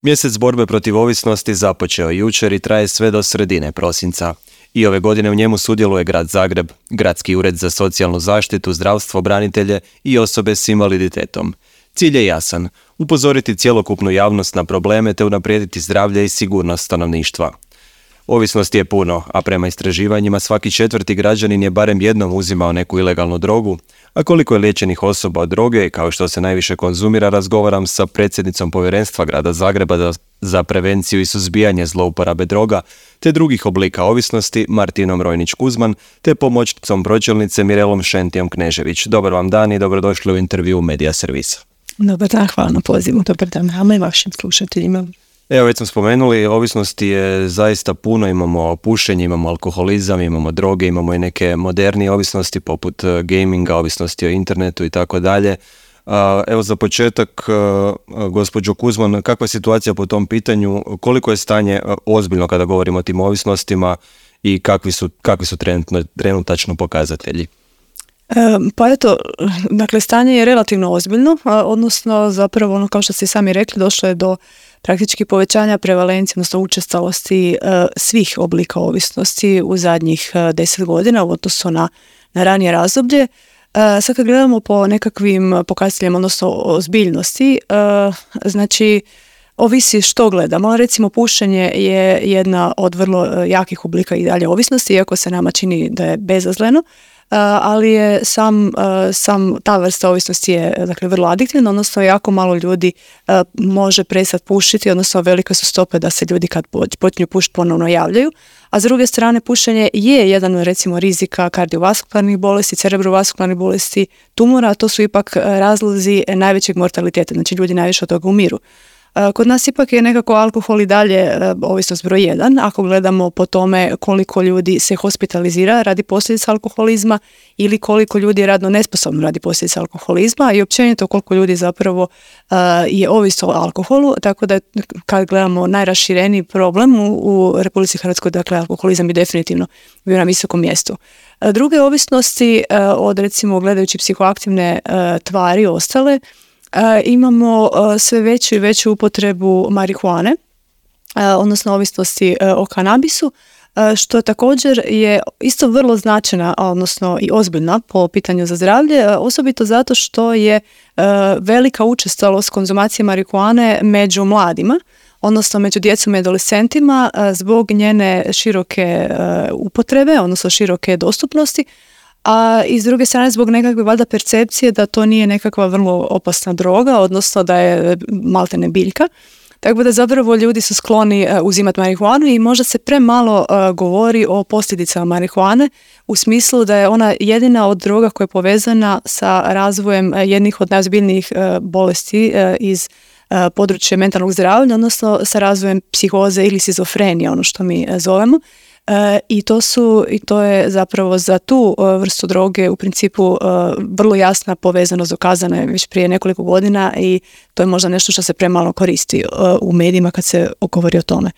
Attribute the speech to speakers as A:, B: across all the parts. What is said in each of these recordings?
A: Mjesec borbe protiv ovisnosti započeo jučer i traje sve do sredine prosinca. I ove godine u njemu sudjeluje Grad Zagreb, Gradski ured za socijalnu zaštitu, zdravstvo, branitelje i osobe s invaliditetom. Cilj je jasan, upozoriti cjelokupnu javnost na probleme te unaprijediti zdravlje i sigurnost stanovništva. Ovisnosti je puno, a prema istraživanjima svaki 4. građanin je barem jednom uzimao neku ilegalnu drogu, a koliko je liječenih osoba od droge i kao što se najviše konzumira, razgovaram sa predsjednicom Povjerenstva Grada Zagreba za prevenciju i suzbijanje zlouporabe droga te drugih oblika ovisnosti Martinom Rojnić-Kuzman te pomoćnicom pročelnice Mirelom Šentijom Knežević. Dobar vam dan i dobrodošli u intervju Media Servisa.
B: Dobar dan, hvala na pozivu. Dobar dan nama i vašim slušateljima.
A: Evo, već smo spomenuli, ovisnosti je zaista puno, imamo pušenje, imamo alkoholizam, imamo droge, imamo i neke modernije ovisnosti poput gaminga, ovisnosti o internetu i tako dalje. Evo za početak, gospođo Kuzman, kakva je situacija po tom pitanju, koliko je stanje ozbiljno kada govorimo o tim ovisnostima i kakvi su trenutačno pokazatelji?
B: Pa eto, dakle, stanje je relativno ozbiljno, odnosno zapravo ono kao što ste sami rekli, došlo je do praktički povećanja prevalencije, odnosno učestalosti svih oblika ovisnosti u zadnjih 10 godina u odnosu na ranije razdoblje. Sad kad gledamo po nekakvim pokazateljima, odnosno ozbiljnosti, znači ovisi što gledamo. Recimo pušenje je jedna od vrlo jakih oblika i dalje ovisnosti, iako se nama čini da je bezazleno. Ali je sam ta vrsta ovisnosti je dakle vrlo adiktivna, odnosno jako malo ljudi može prestati pušiti, odnosno velike su stope da se ljudi kad počinju pušiti ponovno javljaju. A s druge strane pušenje je jedan recimo rizika kardiovaskularnih bolesti, cerebrovaskularnih bolesti, tumora, a to su ipak razlozi najvećeg mortaliteta, znači ljudi najviše od toga umiru. Kod nas ipak je nekako alkohol i dalje ovisnost broj 1, ako gledamo po tome koliko ljudi se hospitalizira radi posljedica alkoholizma ili koliko ljudi je radno nesposobno radi posljedica alkoholizma i općenito koliko ljudi zapravo je ovisno o alkoholu, tako da kad gledamo najrašireniji problem u Republici Hrvatskoj, dakle alkoholizam je definitivno bio na visokom mjestu. Druge ovisnosti od recimo gledajući psihoaktivne tvari ostale, imamo sve veću i veću upotrebu marihuane, odnosno ovisnosti o kanabisu, što također je isto vrlo značajna, odnosno i ozbiljna po pitanju za zdravlje, osobito zato što je velika učestalost konzumacije marihuane među mladima, odnosno među djecom i adolescentima zbog njene široke upotrebe, odnosno široke dostupnosti, a i s druge strane zbog nekakve valjda percepcije da to nije nekakva vrlo opasna droga, odnosno da je maltene biljka. Tako da zapravo ljudi su skloni uzimati marihuanu i možda se premalo govori o posljedicama marihuane u smislu da je ona jedina od droga koja je povezana sa razvojem jednih od najozbiljnijih bolesti iz područja mentalnog zdravlja, odnosno sa razvojem psihoze ili šizofrenije, ono što mi zovemo. I to je zapravo za tu vrstu droge u principu vrlo jasna povezanost, dokazana je već prije nekoliko godina i to je možda nešto što se premalo koristi u medijima kad se govori o tome.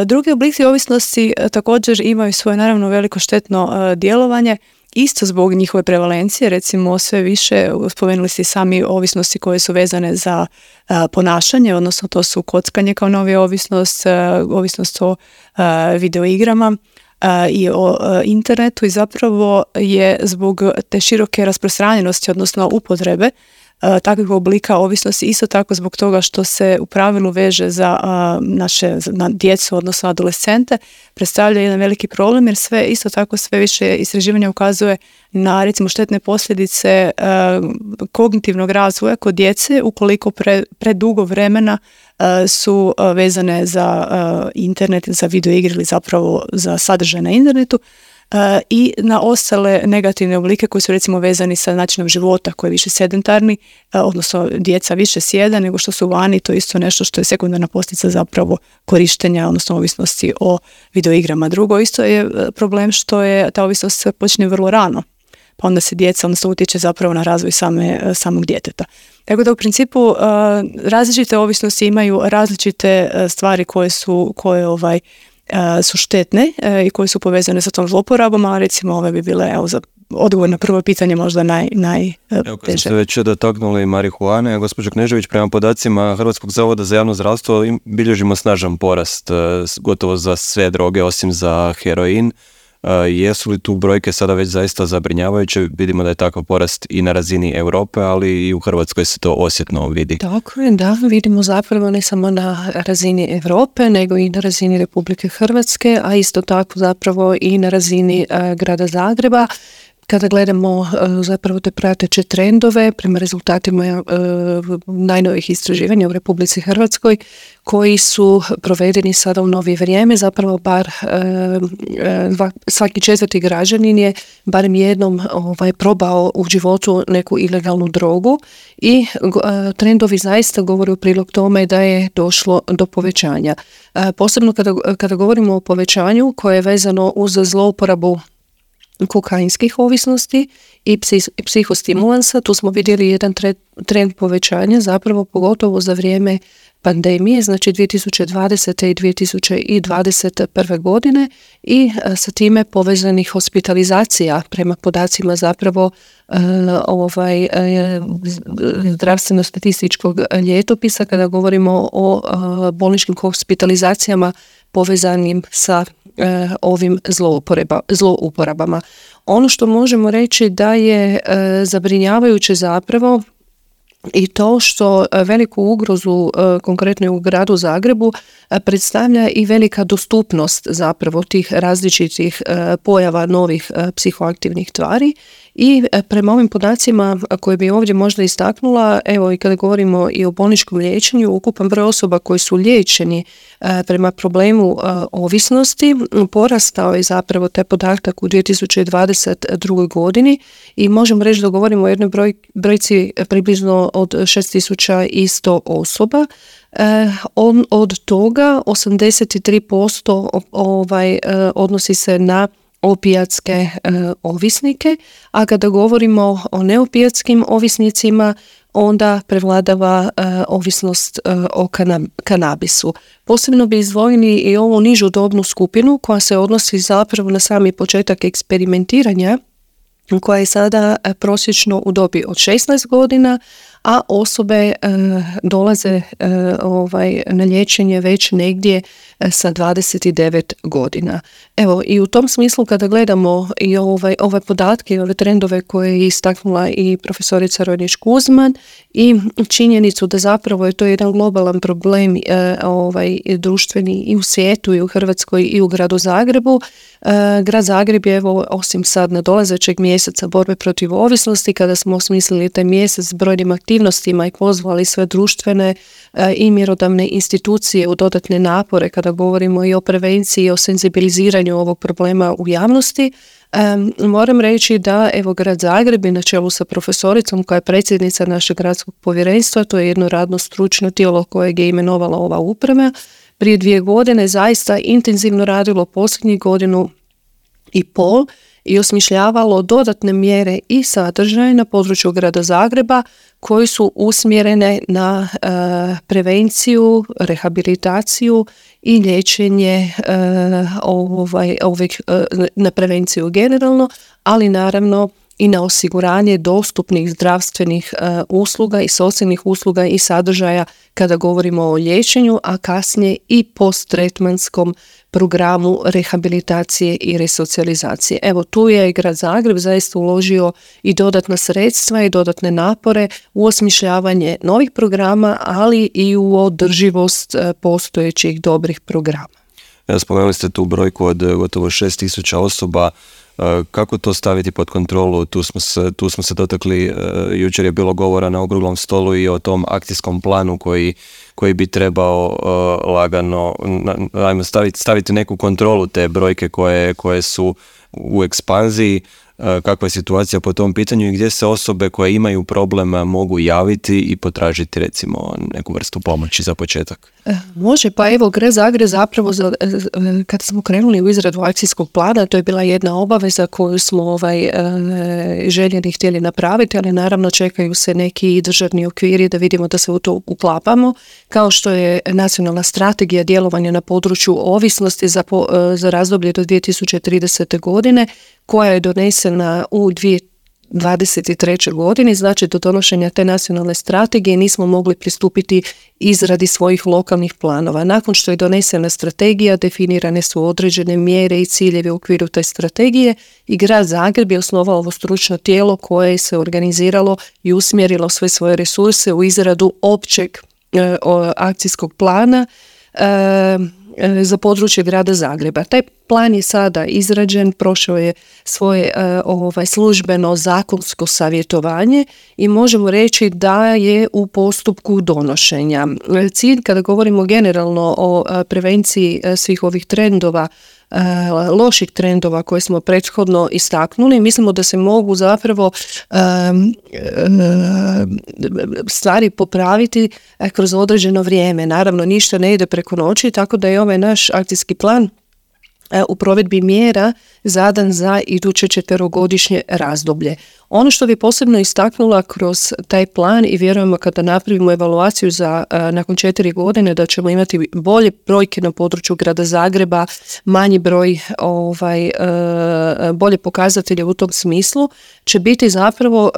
B: Drugi oblici ovisnosti također imaju svoje naravno veliko štetno djelovanje, isto zbog njihove prevalencije, recimo sve više, spomenuli ste sami ovisnosti koje su vezane za ponašanje, odnosno to su kockanje kao novija ovisnost, ovisnost o videoigrama i o internetu i zapravo je zbog te široke rasprostranjenosti, odnosno upotrebe takvih oblika ovisnosti, isto tako zbog toga što se u pravilu veže za na djecu, odnosno adolescente, predstavlja jedan veliki problem jer sve više istraživanja ukazuje na recimo štetne posljedice kognitivnog razvoja kod djece ukoliko predugo vremena su vezane za internet, za videoigre ili zapravo za sadržaj na internetu. I na ostale negativne oblike koji su recimo vezani sa načinom života koji je više sedentarni, odnosno djeca više sjeda nego što su vani, to je isto nešto što je sekundarna posljedica zapravo korištenja, odnosno ovisnosti o videoigrama. Drugo isto je problem što je ta ovisnost počinje vrlo rano, pa onda se djeca, odnosno utječe zapravo na razvoj samog djeteta. Tako da u principu različite ovisnosti imaju različite stvari koje su štetne i koje su povezane sa tom zloporabom, a recimo ove bi bile za odgovor na prvo pitanje možda
A: Evo, kad ste već dotaknuli marihuane, gospođo Knežević, prema podacima Hrvatskog zavoda za javno zdravstvo bilježimo snažan porast gotovo za sve droge osim za heroin. Jesu li tu brojke sada već zaista zabrinjavajuće? Vidimo da je takav porast i na razini Europe, ali i u Hrvatskoj se to osjetno vidi.
C: Tako je, da, vidimo zapravo ne samo na razini Europe, nego i na razini Republike Hrvatske, a isto tako zapravo i na razini grada Zagreba. Kada gledamo zapravo te prateće trendove prema rezultatima najnovijih istraživanja u Republici Hrvatskoj koji su provedeni sada u novije vrijeme, zapravo bar svaki 4. građanin je barem jednom probao u životu neku ilegalnu drogu i trendovi zaista govore u prilog tome da je došlo do povećanja. Posebno kada govorimo o povećanju koje je vezano uz zlouporabu kokainskih ovisnosti i psihostimulansa, tu smo vidjeli jedan trend povećanja, zapravo pogotovo za vrijeme pandemije, znači 2020. i 2021. godine i sa time povezanih hospitalizacija prema podacima zapravo zdravstveno-statističkog ljetopisa kada govorimo o bolničkim hospitalizacijama povezanim sa ovim zlouporabama. Ono što možemo reći da je zabrinjavajuće zapravo i to što veliku ugrozu konkretno u gradu Zagrebu predstavlja i velika dostupnost zapravo tih različitih pojava novih psihoaktivnih tvari i prema ovim podacima koje bi ovdje možda istaknula, evo i kada govorimo i o bolničkom liječenju, ukupan broj osoba koji su liječeni prema problemu ovisnosti porastao je zapravo taj podatak u 2022. godini i možemo reći da govorimo o jednoj brojci približno od 6100 osoba. Od toga 83% odnosi se na opijatske ovisnike, a kada govorimo o neopijatskim ovisnicima, onda prevladava ovisnost o kanabisu. Posebno bi izdvojili i ovu nižu dobnu skupinu koja se odnosi zapravo na sami početak eksperimentiranja, koja je sada prosječno u dobi od 16 godina, a osobe dolaze na liječenje već negdje sa 29 godina. Evo, i u tom smislu kada gledamo i ove podatke i ove trendove koje je istaknula i profesorica Rojnić-Kuzman i činjenicu da zapravo je to jedan globalan problem društveni i u svijetu i u Hrvatskoj i u gradu Zagrebu. Grad Zagreb je osim sad nadolazećeg mjeseca borbe protiv ovisnosti, kada smo osmislili taj mjesec s brojnim aktivnostima i pozvali sve društvene i mjerodavne institucije u dodatne napore kada govorimo i o prevenciji i o senzibiliziranju ovog problema u javnosti. Moram reći da evo grad Zagreb je na čelu sa profesoricom koja je predsjednica našeg gradskog povjerenstva, to je jedno radno stručno tijelo kojeg je imenovala ova uprava, prije 2 godine zaista intenzivno radilo posljednjih 1.5 godinu i osmišljavalo dodatne mjere i sadržaje na području grada Zagreba koji su usmjerene na prevenciju, rehabilitaciju i liječenje na prevenciju generalno, ali naravno i na osiguranje dostupnih zdravstvenih usluga i socijalnih usluga i sadržaja kada govorimo o liječenju, a kasnije i posttretmanskom programu rehabilitacije i resocijalizacije. Evo, tu je grad Zagreb zaista uložio i dodatna sredstva i dodatne napore u osmišljavanje novih programa, ali i u održivost postojećih dobrih programa.
A: Spomenuli ste tu brojku od gotovo 6.000 osoba. Kako to staviti pod kontrolu? Tu smo se dotakli, jučer je bilo govora na okruglom stolu i o tom akcijskom planu koji bi trebao lagano staviti neku kontrolu te brojke koje su u ekspanziji. Kakva je situacija po tom pitanju i gdje se osobe koje imaju problema mogu javiti i potražiti recimo neku vrstu pomoći za početak?
C: Može, pa evo grad Zagreb zapravo kada smo krenuli u izradu akcijskog plana, to je bila jedna obaveza obaveza koju smo željeli htjeli napraviti, ali naravno čekaju se neki državni okviri da vidimo da se u to uklapamo, kao što je nacionalna strategija djelovanja na području ovisnosti za razdoblje do 2030. godine, koja je donesena u 2023. godini. Znači, do donošenja te nacionalne strategije nismo mogli pristupiti izradi svojih lokalnih planova. Nakon što je donesena strategija, definirane su određene mjere i ciljevi u okviru te strategije i Grad Zagreb je osnovao ovo stručno tijelo koje se organiziralo i usmjerilo sve svoje resurse u izradu općeg akcijskog plana za područje Grada Zagreba. Taj plan je sada izrađen, prošao je svoje službeno zakonsko savjetovanje i možemo reći da je u postupku donošenja. Cilj, kada govorimo generalno o prevenciji svih ovih trendova, loših trendova koje smo prethodno istaknuli, mislimo da se mogu zapravo stvari popraviti kroz određeno vrijeme. Naravno, ništa ne ide preko noći, tako da je ovaj naš akcijski plan u provedbi mjera zadan za iduće 4-godišnje razdoblje. Ono što bi posebno istaknula kroz taj plan i vjerujemo kada napravimo evaluaciju za nakon 4 godine da ćemo imati bolje brojke na području Grada Zagreba, manji broj bolje pokazatelje u tom smislu, će biti zapravo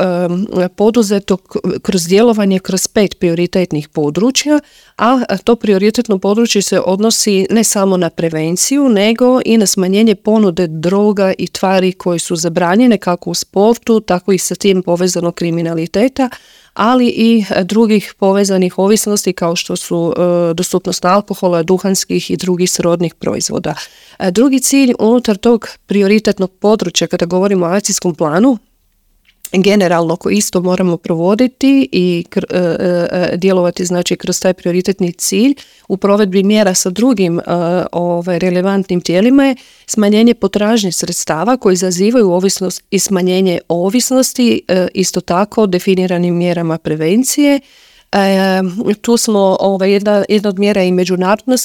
C: poduzeto kroz djelovanje kroz 5 prioritetnih područja, a to prioritetno područje se odnosi ne samo na prevenciju, nego i na smanjenje ponude droga i tvari koje su zabranjene kako u sportu, tako i sa tim povezanog kriminaliteta, ali i drugih povezanih ovisnosti kao što su dostupnost alkohola, duhanskih i drugih srodnih proizvoda. Drugi cilj unutar tog prioritetnog područja kada govorimo o akcijskom planu, generalno koji isto moramo provoditi i djelovati znači kroz taj prioritetni cilj u provedbi mjera sa drugim relevantnim tijelima je smanjenje potražnje sredstava koji izazivaju ovisnost i smanjenje ovisnosti, isto tako definiranim mjerama prevencije. Tu smo jedna od mjera i međunarodna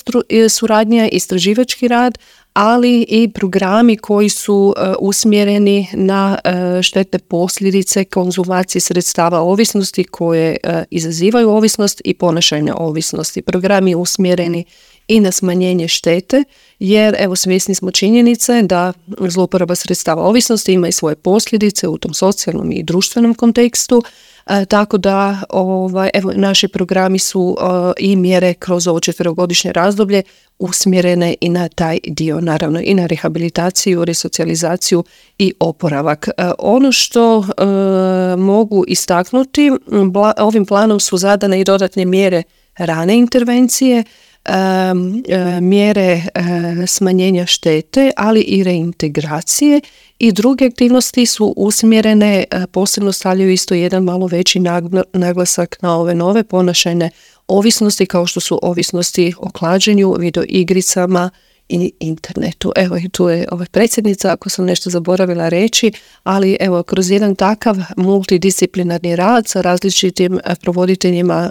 C: suradnja, istraživački rad, ali i programi koji su usmjereni na štetne posljedice konzumacije sredstava ovisnosti koje izazivaju ovisnost i ponašajne ovisnosti. Programi usmjereni i na smanjenje štete, jer evo svjesni smo činjenice da zlouporaba sredstava ovisnosti ima i svoje posljedice u tom socijalnom i društvenom kontekstu, tako da naši programi su i mjere kroz ovo 4-godišnje razdoblje usmjerene i na taj dio, naravno i na rehabilitaciju, resocijalizaciju i oporavak. Ono što mogu istaknuti, ovim planom su zadane i dodatne mjere rane intervencije, mjere smanjenja štete, ali i reintegracije i druge aktivnosti su usmjerene, posebno stavljaju isto jedan malo veći naglasak na ove nove ponašajne ovisnosti kao što su ovisnosti o klađenju, videoigricama i internetu. Evo i tu je predsjednica, ako sam nešto zaboravila reći, ali evo kroz jedan takav multidisciplinarni rad sa različitim provoditeljima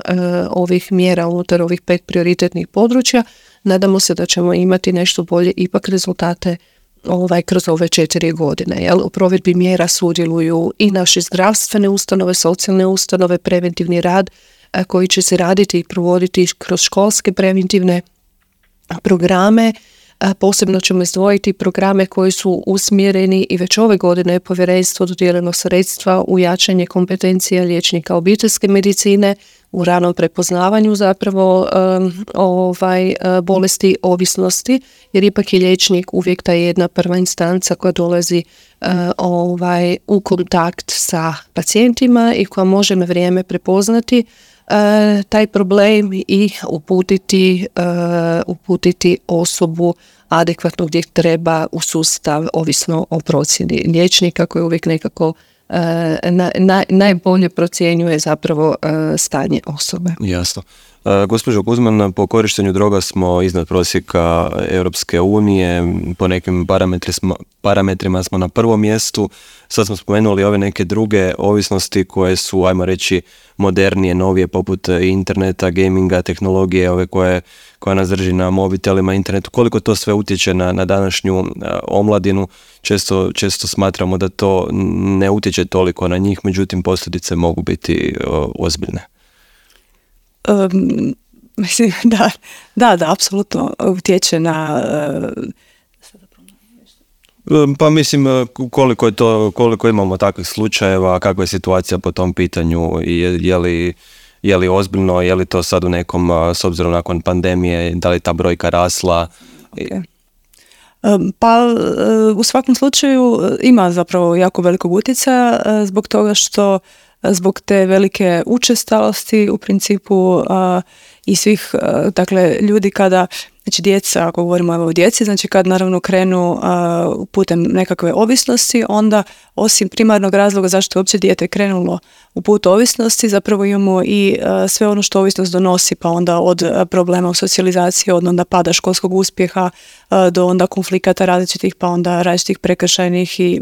C: ovih mjera unutar ovih 5 prioritetnih područja, nadamo se da ćemo imati nešto bolje ipak rezultate kroz ove 4 godine. U provedbi mjera sudjeluju i naše zdravstvene ustanove, socijalne ustanove, preventivni rad koji će se raditi i provoditi kroz školske preventivne programe. Posebno ćemo izdvojiti programe koji su usmjereni i već ove godine je povjerenstvo dodijelilo sredstva u jačanje kompetencija liječnika obiteljske medicine u ranom prepoznavanju zapravo bolesti ovisnosti, jer ipak je liječnik uvijek ta jedna prva instanca koja dolazi u kontakt sa pacijentima i koja može na vrijeme prepoznati taj problem i uputiti osobu adekvatno gdje treba u sustav, ovisno o procjeni liječnika koji uvijek nekako najbolje procjenjuje zapravo stanje osobe.
A: Jasno. Gospođo Kuzman, po korištenju droga smo iznad prosjeka Europske unije, po nekim parametrima smo na prvom mjestu. Sad smo spomenuli ove neke druge ovisnosti koje su, ajmo reći, modernije, novije, poput interneta, gaminga, tehnologije, ove koja nas drži na mobitelima, internetu. Koliko to sve utječe na današnju omladinu? Često smatramo da to ne utječe toliko na njih, međutim posljedice mogu biti ozbiljne.
B: Mislim, da, apsolutno utječe na...
A: Pa mislim, koliko imamo takvih slučajeva, kakva je situacija po tom pitanju, je li ozbiljno, je li to sad u nekom, s obzirom nakon pandemije, da li ta brojka rasla?
B: Okay. Pa u svakom slučaju ima zapravo jako velikog utjecaja zbog toga što zbog te velike učestalosti u principu i svih dakle ljudi kada, znači djeca, ako govorimo o djeci, znači kad naravno krenu putem nekakve ovisnosti, onda osim primarnog razloga zašto je uopće dijete krenulo u put ovisnosti, zapravo imamo i sve ono što ovisnost donosi, pa onda od problema u socijalizaciji, od onda pada školskog uspjeha do onda konflikata različitih, pa onda različitih prekršajnih i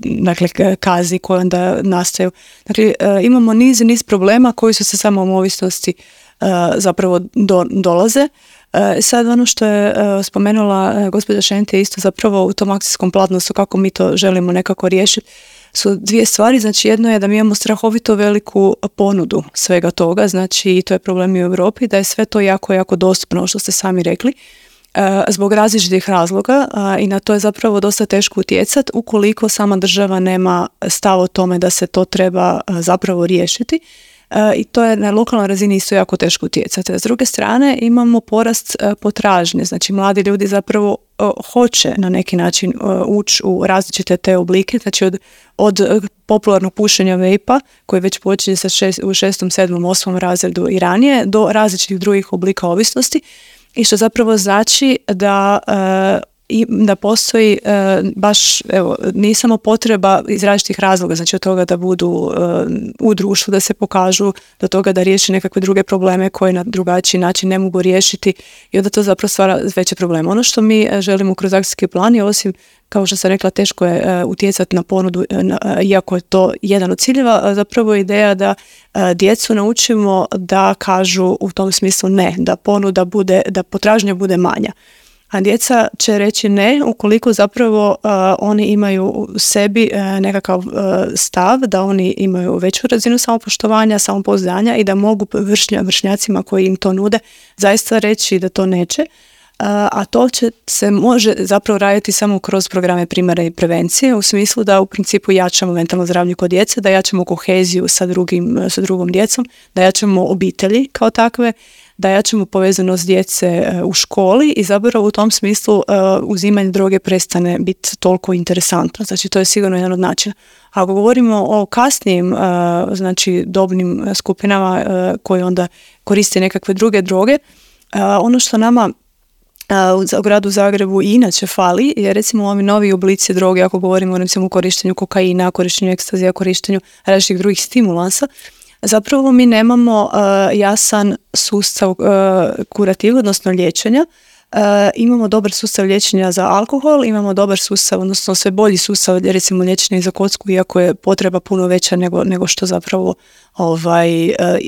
B: dakle kazni koje onda nastaju. Dakle, imamo niz problema koji su se samom ovisnosti zapravo dolaze. Sad ono što je spomenula gospođa Šente isto zapravo u tom akcijskom planu su kako mi to želimo nekako riješiti su dvije stvari. Znači jedno je da mi imamo strahovito veliku ponudu svega toga, znači i to je problem i u Europi, da je sve to jako dostupno, što ste sami rekli, zbog različitih razloga i na to je zapravo dosta teško utjecati ukoliko sama država nema stav o tome da se to treba zapravo riješiti. I to je na lokalnoj razini isto jako teško utjecati. S druge strane imamo porast potražnje, znači mladi ljudi zapravo hoće na neki način ući u različite te oblike, znači od popularnog pušenja vejpa koji već počinje sa u 6., 7., 8. razredu i ranije do različitih drugih oblika ovisnosti i što zapravo znači da postoji baš, evo, nije samo potreba iz različitih razloga, znači od toga da budu u društvu, da se pokažu, do toga da riješi nekakve druge probleme koje na drugačiji način ne mogu riješiti i onda to zapravo stvara veće probleme. Ono što mi želimo kroz akcijski plan je, osim, kao što sam rekla, teško je utjecati na ponudu, iako je to jedan od ciljeva, zapravo je ideja da djecu naučimo da kažu u tom smislu ne, da ponuda bude, da potražnja bude manja. A djeca će reći ne ukoliko zapravo oni imaju u sebi nekakav stav, da oni imaju veću razinu samopoštovanja, samopouzdanja i da mogu vršnjacima koji im to nude zaista reći da to neće. A to se može zapravo raditi samo kroz programe primarne prevencije, u smislu da u principu jačamo mentalno zdravlje kod djece, da jačamo koheziju sa drugom djecom, da jačamo obitelji kao takve, da jačamo povezanost djece u školi i zapravo u tom smislu uzimanje droge prestane biti toliko interesantno. Znači to je sigurno jedan od načina. Ako govorimo o kasnijim znači dobnim skupinama koji onda koriste nekakve druge droge, ono što nama u gradu Zagrebu i inače fali je recimo ovi novi oblici droge, ako govorimo recimo o korištenju kokaina, korištenju ekstazija, korištenju različitih drugih stimulansa. Zapravo mi nemamo jasan sustav kurativa, odnosno liječenja. Imamo dobar sustav liječenja za alkohol, imamo dobar sustav, odnosno sve bolji sustav recimo liječenja za kocku, iako je potreba puno veća nego što zapravo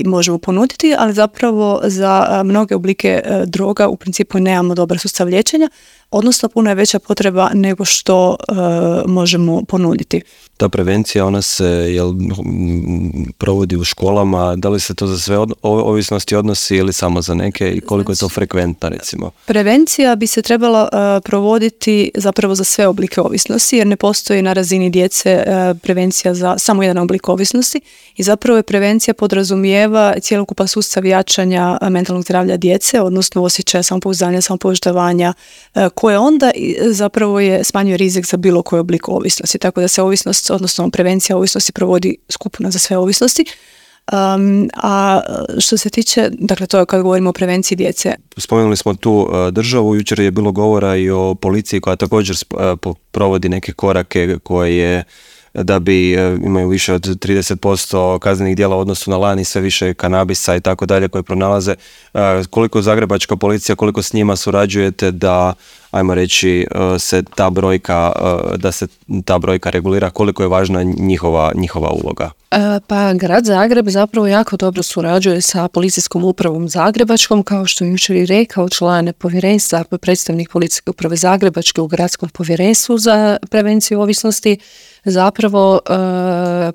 B: možemo ponuditi, ali zapravo za mnoge oblike droga u principu nemamo dobar sustav liječenja, odnosno puno je veća potreba nego što možemo ponuditi.
A: Ta prevencija, ona se provodi u školama, da li se to za sve ovisnosti odnosi ili samo za neke i koliko je to frekventna recimo?
B: Prevencija bi se trebala provoditi zapravo za sve oblike ovisnosti, jer ne postoji na razini djece prevencija za samo jedan oblik ovisnosti i zapravo je prevencija podrazumijeva cjelokupan sustav jačanja mentalnog zdravlja djece, odnosno osjećaja samopouzdanja, samopoštovanja, koje onda zapravo smanjuje rizik za bilo koji oblik ovisnosti. Tako da se ovisnost, odnosno prevencija ovisnosti provodi skupno za sve ovisnosti. A što se tiče, dakle to je kad govorimo o prevenciji djece.
A: Spomenuli smo tu državu, jučer je bilo govora i o policiji koja također provodi neke korake koje da bi imaju više od 30% kaznenih djela u odnosu na lani, sve više kanabisa i tako dalje koje pronalaze. Koliko zagrebačka policija, koliko s njima surađujete da, ajmo reći, da se ta brojka regulira, koliko je važna njihova uloga?
C: Pa grad Zagreb zapravo jako dobro surađuje sa policijskom upravom Zagrebačkom, kao što je jučer i rekao član povjerenstva, predstavnik policijske uprave Zagrebačke u gradskom povjerenstvu za prevenciju ovisnosti. Zapravo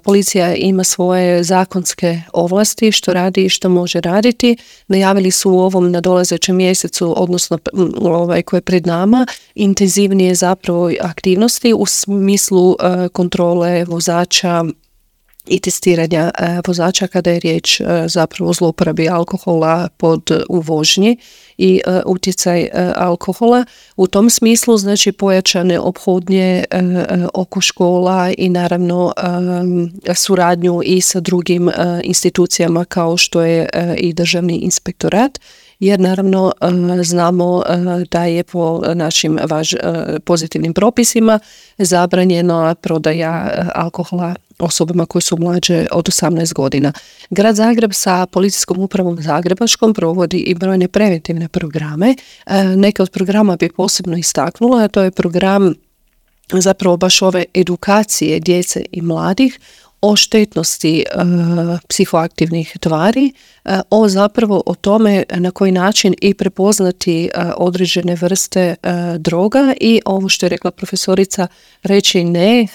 C: policija ima svoje zakonske ovlasti što radi i što može raditi. Najavili su u ovom nadolazećem mjesecu, odnosno koje je pred nama, intenzivnije zapravo aktivnosti u smislu kontrole vozača i testiranja vozača kada je riječ zapravo o zlouporabi alkohola u vožnji i utjecaj alkohola. U tom smislu znači pojačane ophodnje oko škola i naravno suradnju i sa drugim institucijama kao što je i Državni inspektorat. Jer naravno znamo da je po našim pozitivnim propisima zabranjena prodaja alkohola osobama koje su mlađe od 18 godina. Grad Zagreb sa policijskom upravom Zagrebačkom provodi i brojne preventivne programe. Neke od programa bi posebno istaknula, a to je program zapravo baš ove edukacije djece i mladih o štetnosti psihoaktivnih tvari, o tome na koji način i prepoznati određene vrste droga i ovo što je rekla profesorica, reći ne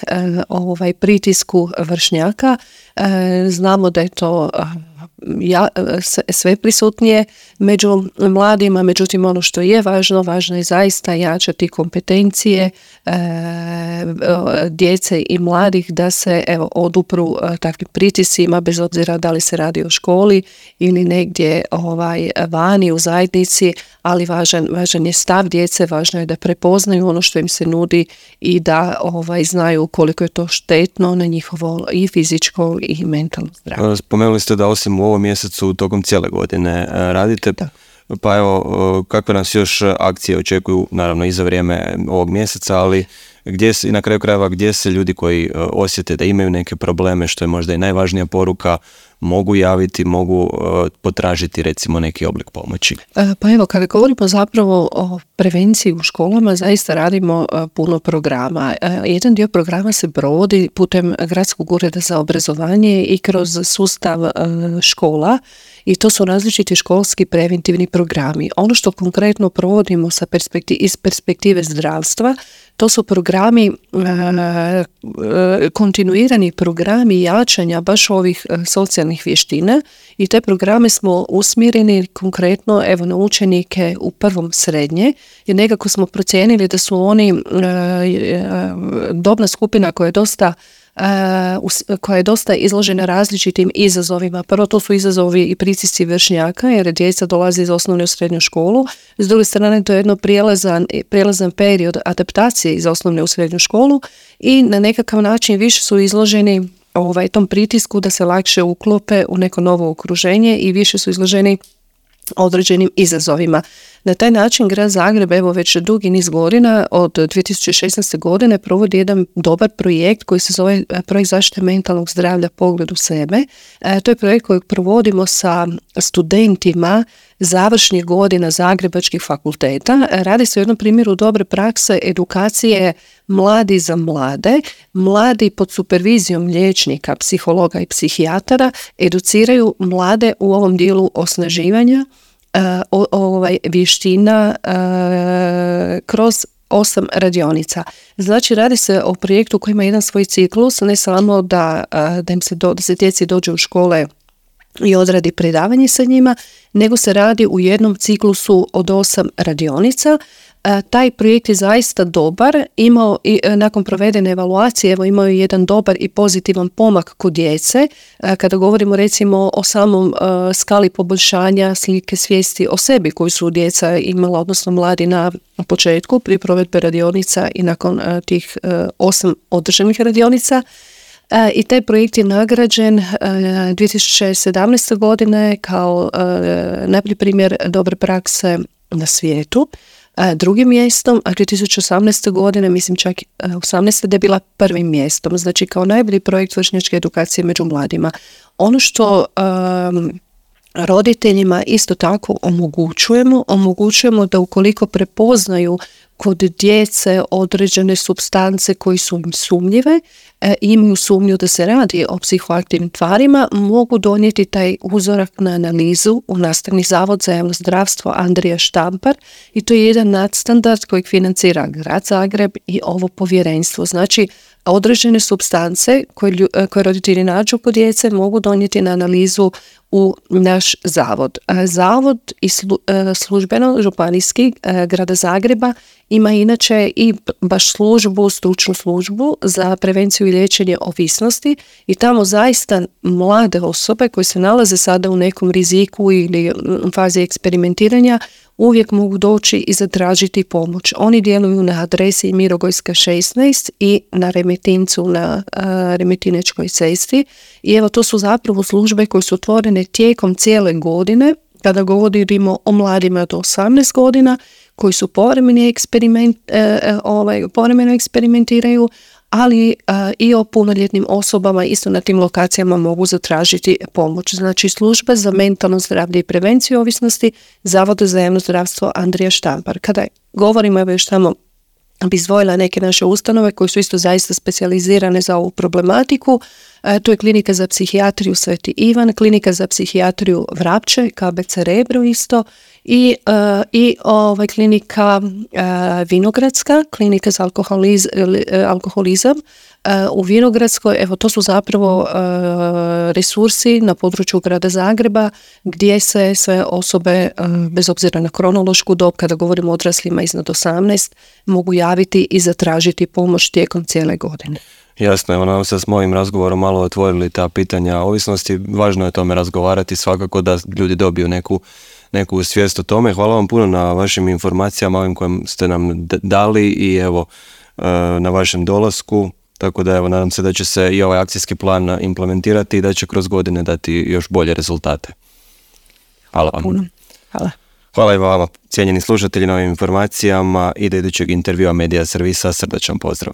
C: pritisku vršnjaka. Znamo da je to sve prisutnije među mladima, međutim ono što je važno je zaista jačati kompetencije djece i mladih da se odupru takvim pritiscima, bez obzira da li se radi o školi ili negdje vani u zajednici, ali važan je stav djece, važno je da prepoznaju ono što im se nudi i da znaju koliko je to štetno na njihovo i fizičko i mentalno zdravlje.
A: Spomenuli ste da osim u ovom mjesecu tokom cijele godine radite. Da. Pa evo, kakve nas još akcije očekuju, naravno i za vrijeme ovog mjeseca, ali i na kraju krajeva gdje se ljudi koji osjete da imaju neke probleme, što je možda i najvažnija poruka, mogu javiti, mogu potražiti recimo neki oblik pomoći?
C: Pa evo, kada govorimo zapravo o prevenciji u školama, zaista radimo puno programa. Jedan dio programa se provodi putem Gradskog ureda za obrazovanje i kroz sustav škola i to su različiti školski preventivni programi. Ono što konkretno provodimo iz perspektive zdravstva, to su programi, kontinuirani programi jačanja baš ovih socijalnih vještina i te programe smo usmjereni konkretno na učenike u prvom srednje, jer nekako smo procijenili da su oni dobna skupina koja je dosta izložena različitim izazovima. Prvo, to su izazovi i pritisci vršnjaka, jer djeca dolaze iz osnovne u srednju školu. S druge strane, to je jedno prijelazan period adaptacije iz osnovne u srednju školu i na nekakav način više su izloženi tom pritisku da se lakše uklope u neko novo okruženje i više su izloženi određenim izazovima. Na taj način Grad Zagreb već dugi niz godina od 2016. godine provodi jedan dobar projekt koji se zove projekt zaštite mentalnog zdravlja Pogled u sebe. To je projekt kojeg provodimo sa studentima završnih godina zagrebačkih fakulteta. Radi se o jednom primjeru dobre prakse edukacije mladi za mlade. Mladi pod supervizijom liječnika, psihologa i psihijatara educiraju mlade u ovom dijelu osnaživanja vještina kroz 8 radionica. Znači, radi se o projektu koji ima jedan svoj ciklus, ne samo da se djeci dođe u škole i odradi predavanje sa njima, nego se radi u jednom ciklusu od 8 radionica. Taj projekt je zaista dobar, imao i nakon provedene evaluacije imao je jedan dobar i pozitivan pomak kod djece. Kada govorimo recimo o samom skali poboljšanja slike svijesti o sebi koju su djeca imala, odnosno mladi na početku pri provedbe radionica i nakon tih 8 održanih radionica. I taj projekt je nagrađen 2017. godine kao najbolji primjer dobre prakse na svijetu. drugim mjestom, a 2018. godine, mislim čak 18. da je bila prvim mjestom, znači kao najbolji projekt vršnjačke edukacije među mladima. Ono što roditeljima isto tako omogućujemo da ukoliko prepoznaju kod djece određene supstance koji su im sumnjive, imaju sumnju da se radi o psihoaktivnim tvarima, mogu donijeti taj uzorak na analizu u Nastavni zavod za javno zdravstvo Andrija Štampar i to je jedan nadstandard kojeg financira Grad Zagreb i ovo povjerenstvo. Znači, određene supstance koje roditelji nađu kod djece mogu donijeti na analizu u naš zavod. Zavod i službeno županijski Grada Zagreba ima inače i baš stručnu službu za prevenciju i liječenje ovisnosti i tamo zaista mlade osobe koje se nalaze sada u nekom riziku ili u fazi eksperimentiranja uvijek mogu doći i zatražiti pomoć. Oni djeluju na adresi Mirogojska 16 i na Remetincu na Remetinečkoj cesti i evo to su zapravo službe koje su otvorene tijekom cijele godine kada govorimo o mladima do 18 godina koji su povremeno eksperimentiraju, ali i o punoljetnim osobama isto na tim lokacijama mogu zatražiti pomoć. Znači služba za mentalno zdravlje i prevenciju ovisnosti Zavoda za javno zdravstvo Andrija Štampar. Kada govorimo, evo još tamo bi izdvojila neke naše ustanove koje su isto zaista specijalizirane za ovu problematiku. To je Klinika za psihijatriju Sveti Ivan, Klinika za psihijatriju Vrapče, KBC Rebro isto i klinika Vinogradska, klinika za alkoholizam u Vinogradskoj. Evo to su zapravo resursi na području Grada Zagreba gdje se sve osobe bez obzira na kronološku dob, kada govorimo o odraslima iznad 18, mogu javiti i zatražiti pomoć tijekom cijele godine.
A: Jasno, evo nam se s mojim razgovorom malo otvorili ta pitanja ovisnosti. Važno je o tome razgovarati, svakako da ljudi dobiju neku svijest o tome. Hvala vam puno na vašim informacijama, ovim kojim ste nam dali i evo na vašem dolasku. Tako da evo, nadam se da će se i ovaj akcijski plan implementirati i da će kroz godine dati još bolje rezultate. Hvala vam.
B: Puno. Hvala.
A: Hvala i vama, cijenjeni slušatelji, na ovim informacijama i do idućeg intervjua Medija servisa. Srdačan pozdrav.